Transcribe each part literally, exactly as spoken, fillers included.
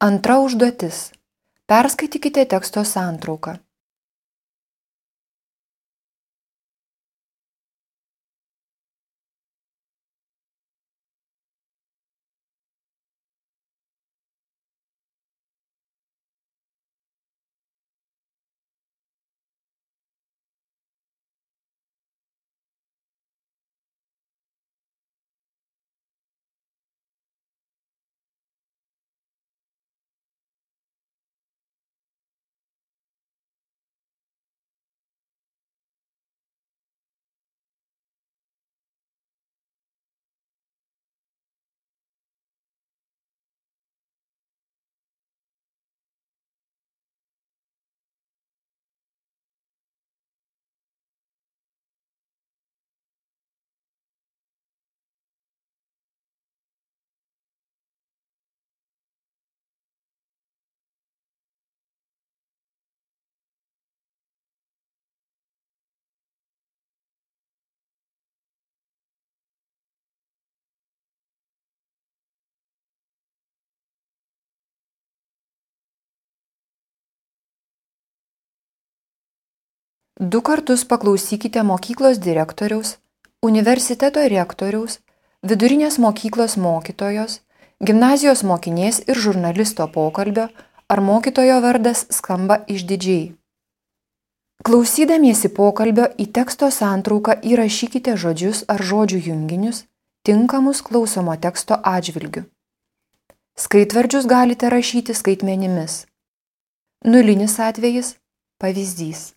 Antra užduotis. Perskaitykite teksto santrauką. Du kartus paklausykite mokyklos direktoriaus, universiteto rektoriaus, vidurinės mokyklos mokytojos, gimnazijos mokinės ir žurnalisto pokalbio, ar mokytojo vardas skamba išdidžiai. Klausydamiesi pokalbio į teksto santrauką įrašykite žodžius ar žodžių junginius, tinkamus klausomo teksto atžvilgiu. Skaitvardžius galite rašyti skaitmenimis. Nulinis atvejis – pavyzdys.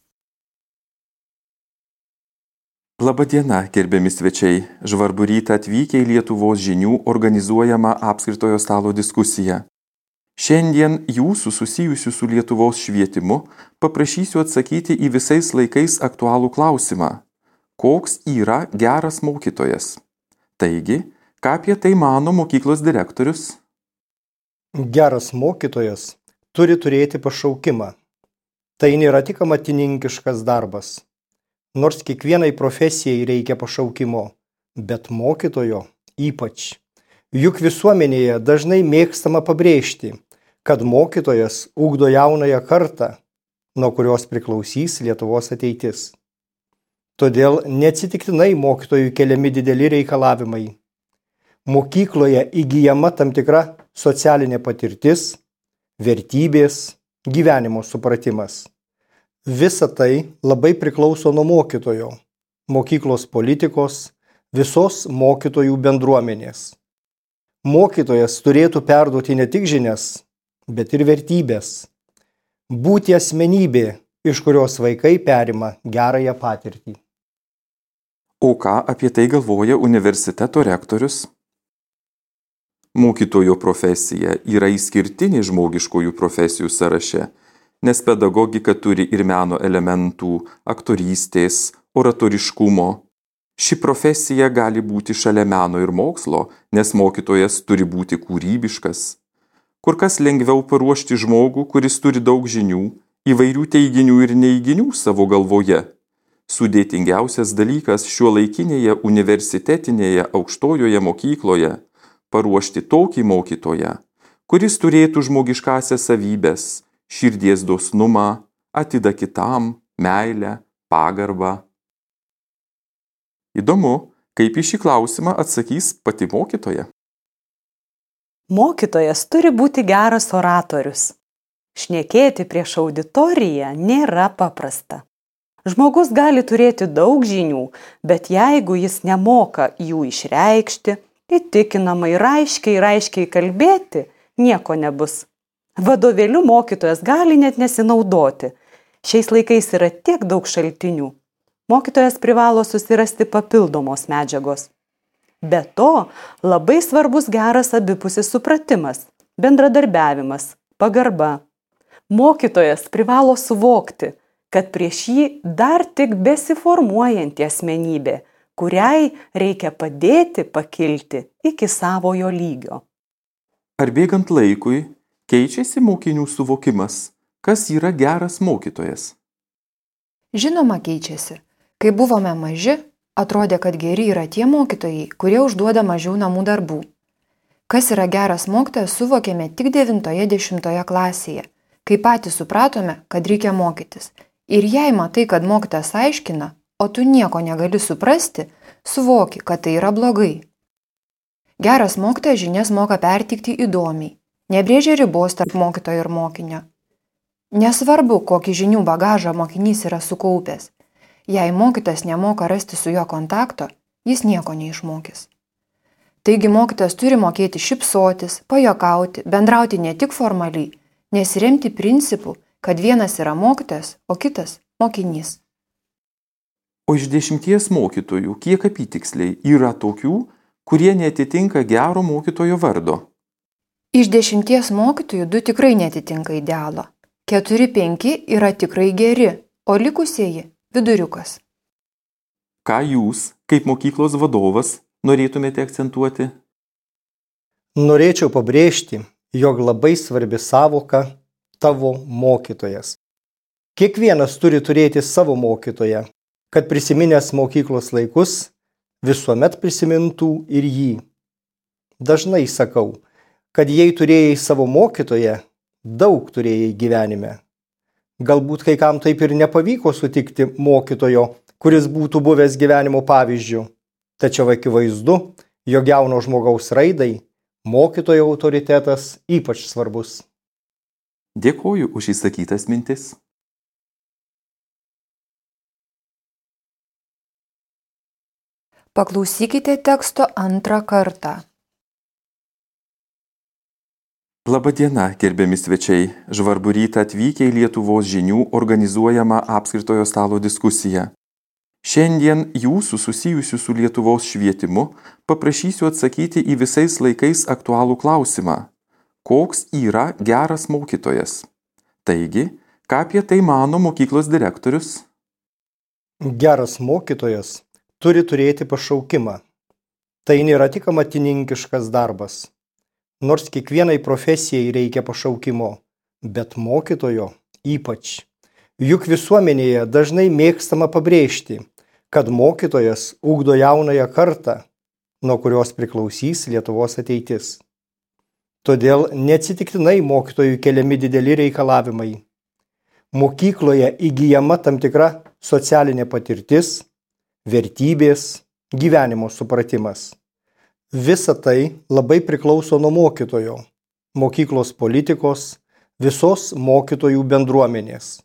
Labadiena, gerbiami svečiai. Žvarbų rytą atvykę į Lietuvos žinių organizuojamą apskritojo stalo diskusiją. Šiandien jūsų susijusių su Lietuvos švietimu paprašysiu atsakyti į visais laikais aktualų klausimą. Koks yra geras mokytojas? Taigi, ką apie tai mano mokyklos direktorius? Geras mokytojas turi turėti pašaukimą. Tai nėra tik amatininkiškas darbas. Nors kiekvienai profesijai reikia pašaukimo, bet mokytojo ypač. Juk visuomenėje dažnai mėgstama pabrėžti, kad mokytojas ugdo jaunąją kartą, nuo kurios priklausys Lietuvos ateitis. Todėl neatsitiktinai mokytojų keliami dideli reikalavimai. Mokykloje įgyjama tam tikra socialinė patirtis, vertybės, gyvenimo supratimas. Visa tai labai priklauso nuo mokytojo, mokyklos politikos, visos mokytojų bendruomenės. Mokytojas turėtų perduoti ne tik žinias, bet ir vertybės. Būti asmenybė, iš kurios vaikai perima gerąją patirtį. O ką apie tai galvoja universiteto rektorius? Mokytojo profesija yra išskirtinė žmogiškųjų profesijų sąraše, nes pedagogika turi ir meno elementų, aktorystės, oratoriškumo. Ši profesija gali būti šalia meno ir mokslo, nes mokytojas turi būti kūrybiškas. Kur kas lengviau paruošti žmogų, kuris turi daug žinių, įvairių teiginių ir neiginių savo galvoje. Sudėtingiausias dalykas šiuolaikinėje universitetinėje aukštojoje mokykloje – paruošti tokį mokytoją, kuris turėtų žmogiškąsias savybės, širdies dosnumą, atidą kitam, meilę, pagarbą. Įdomu, kaip į šį klausimą atsakys pati mokytoja. Mokytojas turi būti geras oratorius. Šnekėti prieš auditoriją nėra paprasta. Žmogus gali turėti daug žinių, bet jeigu jis nemoka jų išreikšti, įtikinamai ir aiškiai ir aiškiai kalbėti, nieko nebus. Vadovėliu mokytojas gali net nesinaudoti. Šiais laikais yra tiek daug šaltinių. Mokytojas privalo susirasti papildomos medžiagos. Be to, labai svarbus geras abipusis supratimas, bendradarbiavimas, pagarba. Mokytojas privalo suvokti, kad prieš jį dar tik besiformuojanti asmenybė, kuriai reikia padėti pakilti iki savojo lygio. Ar bėgant laikui keičiasi mokinių suvokimas, kas yra geras mokytojas? Žinoma, keičiasi. Kai buvome maži, atrodė, kad geri yra tie mokytojai, kurie užduoda mažiau namų darbų. Kas yra geras mokytojas, suvokėme tik devintoje dešimtoje klasėje, kai patys supratome, kad reikia mokytis. Ir jei matai, kad mokytojas aiškina, o tu nieko negali suprasti, suvoki, kad tai yra blogai. Geras mokytojas žinias moka perteikti įdomiai, nebrėžia ribos tarp mokytojo ir mokinio. Nesvarbu, kokį žinių bagažą mokinys yra sukaupęs. Jei mokytojas nemoka rasti su juo kontakto, jis nieko neišmokys. Taigi mokytojas turi mokėti šypsotis, pajuokauti, bendrauti ne tik formaliai, nesiremti principu, kad vienas yra mokytojas, o kitas mokinys. O iš dešimties mokytojų, kiek apytiksliai yra tokių, kurie neatitinka gero mokytojo vardo? Iš dešimties mokytojų du tikrai neatitinka idealo. Keturi penki yra tikrai geri, o likusieji viduriukas. Ką jūs, kaip mokyklos vadovas, norėtumėte akcentuoti? Norėčiau pabrėžti, jog labai svarbi sąvoka tavo mokytojas. Kiekvienas turi turėti savo mokytoją, kad prisiminęs mokyklos laikus visuomet prisimintų ir jį. Dažnai sakau, kad jei turėjai savo mokytoją, daug turėjai gyvenime. Galbūt kai kam taip ir nepavyko sutikti mokytojo, kuris būtų buvęs gyvenimo pavyzdžių. Tačiau akivaizdu, jog jauno žmogaus raidai mokytojo autoritetas ypač svarbus. Dėkoju už įsakytas mintis. Paklausykite teksto antrą kartą. Labadiena, gerbiami svečiai. Žvarbų rytą atvykę į Lietuvos žinių organizuojamą apskritojo stalo diskusiją. Šiandien jūsų susijusių su Lietuvos švietimu paprašysiu atsakyti į visais laikais aktualų klausimą. Koks yra geras mokytojas? Taigi, ką apie tai mano mokyklos direktorius? Geras mokytojas turi turėti pašaukimą. Tai nėra tik amatininkiškas darbas. Nors kiekvienai profesijai reikia pašaukimo, bet mokytojo ypač. Juk visuomenėje dažnai mėgstama pabrėžti, kad mokytojas ugdo jaunąją kartą, nuo kurios priklausys Lietuvos ateitis. Todėl neatsitiktinai mokytojų keliami dideli reikalavimai. Mokykloje įgyjama tam tikra socialinė patirtis, vertybės, gyvenimo supratimas. Visa tai labai priklauso nuo mokytojo, mokyklos politikos, visos mokytojų bendruomenės.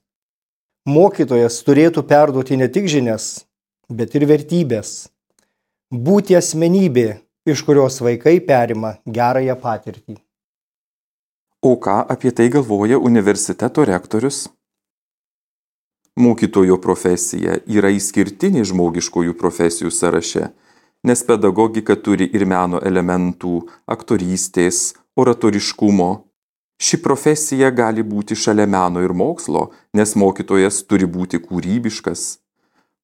Mokytojas turėtų perduoti ne tik žinias, bet ir vertybės. Būti asmenybė, iš kurios vaikai perima gerąją patirtį. O ką apie tai galvoja universiteto rektorius? Mokytojo profesija yra išskirtinė žmogiškojų profesijų sąraše, nes pedagogika turi ir meno elementų, aktorystės, oratoriškumo. Ši profesija gali būti šalia meno ir mokslo, nes mokytojas turi būti kūrybiškas.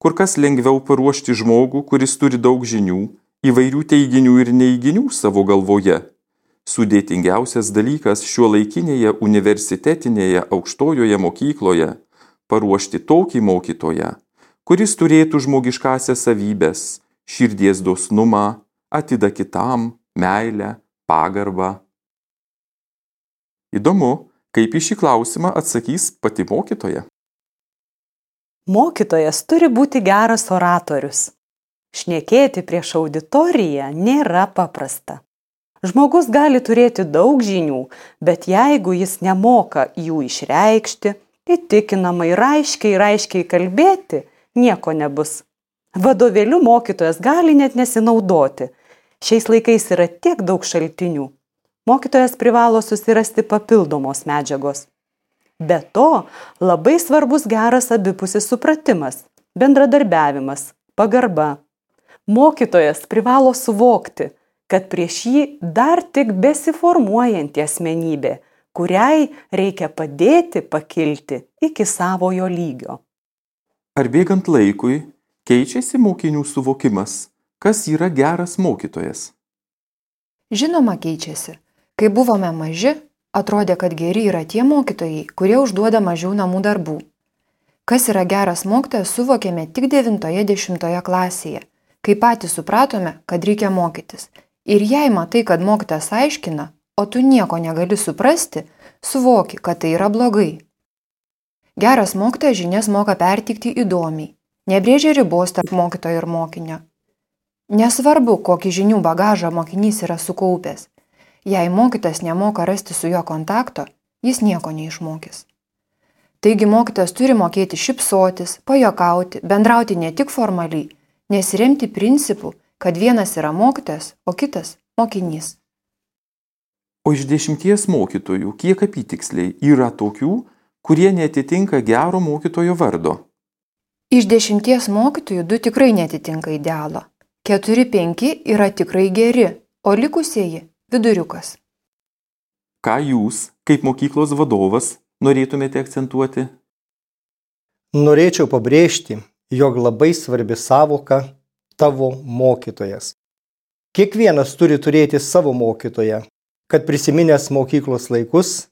Kur kas lengviau paruošti žmogų, kuris turi daug žinių, įvairių teiginių ir neiginių savo galvoje. Sudėtingiausias dalykas šiuolaikinėje universitetinėje aukštojoje mokykloje – paruošti tokį mokytoją, kuris turėtų žmogiškąsias savybės, širdies dosnumą, atidą kitam, meilę, pagarbą. Įdomu, kaip į šį klausimą atsakys pati mokytoja. Mokytojas turi būti geras oratorius. Šnekėti prieš auditoriją nėra paprasta. Žmogus gali turėti daug žinių, bet jeigu jis nemoka jų išreikšti, įtikinamai ir aiškiai ir aiškiai kalbėti, nieko nebus. Vadovėliu mokytojas gali net nesinaudoti. Šiais laikais yra tiek daug šaltinių. Mokytojas privalo susirasti papildomos medžiagos. Be to, labai svarbus geras abipusis supratimas, bendradarbiavimas, pagarba. Mokytojas privalo suvokti, kad prieš jį dar tik besiformuojanti asmenybė, kuriai reikia padėti pakilti iki savojo lygio. Ar bėgant laikui keičiasi mokinių suvokimas, kas yra geras mokytojas? Žinoma, keičiasi. Kai buvome maži, atrodė, kad geri yra tie mokytojai, kurie užduoda mažiau namų darbų. Kas yra geras mokytojas, suvokėme tik devintoje dešimtoje klasėje, kai patys supratome, kad reikia mokytis. Ir jei matai, kad mokytas aiškina, o tu nieko negali suprasti, suvoki, kad tai yra blogai. Geras mokytojas žinias moka pertikti įdomiai, nebrėžia ribos tarp mokytojo ir mokinio. Nesvarbu, kokį žinių bagažą mokinys yra sukaupęs. Jei mokytas nemoka rasti su juo kontakto, jis nieko neišmokys. Taigi mokytas turi mokėti šypsotis, pajokauti, bendrauti ne tik formaliai, nesiremti principu, kad vienas yra mokytojas, o kitas mokinys. O iš dešimties mokytojų, kiek apytiksliai yra tokių, kurie neatitinka gero mokytojo vardo? Iš dešimties mokytojų du tikrai neatitinka idealo. Keturi penki yra tikrai geri, o likusieji viduriukas. Ką jūs, kaip mokyklos vadovas, norėtumėte akcentuoti? Norėčiau pabrėžti, jog labai svarbi sąvoka tavo mokytojas. Kiekvienas turi turėti savo mokytoją, kad prisiminęs mokyklos laikus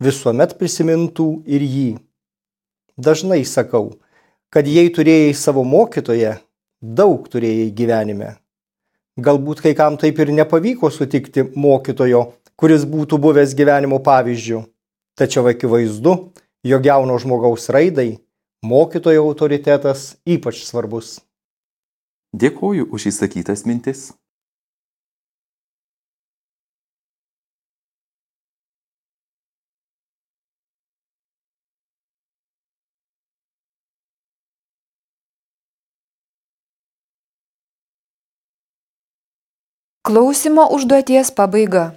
visuomet prisimintų ir jį. Dažnai sakau, kad jei turėjai savo mokytoją, daug turėjai gyvenime. Galbūt kai kam taip ir nepavyko sutikti mokytojo, kuris būtų buvęs gyvenimo pavyzdžiu. Tačiau akivaizdu, jog jauno žmogaus raidai mokytojo autoritetas ypač svarbus. Dėkoju už įsakytas mintis. Klausymo užduoties pabaiga.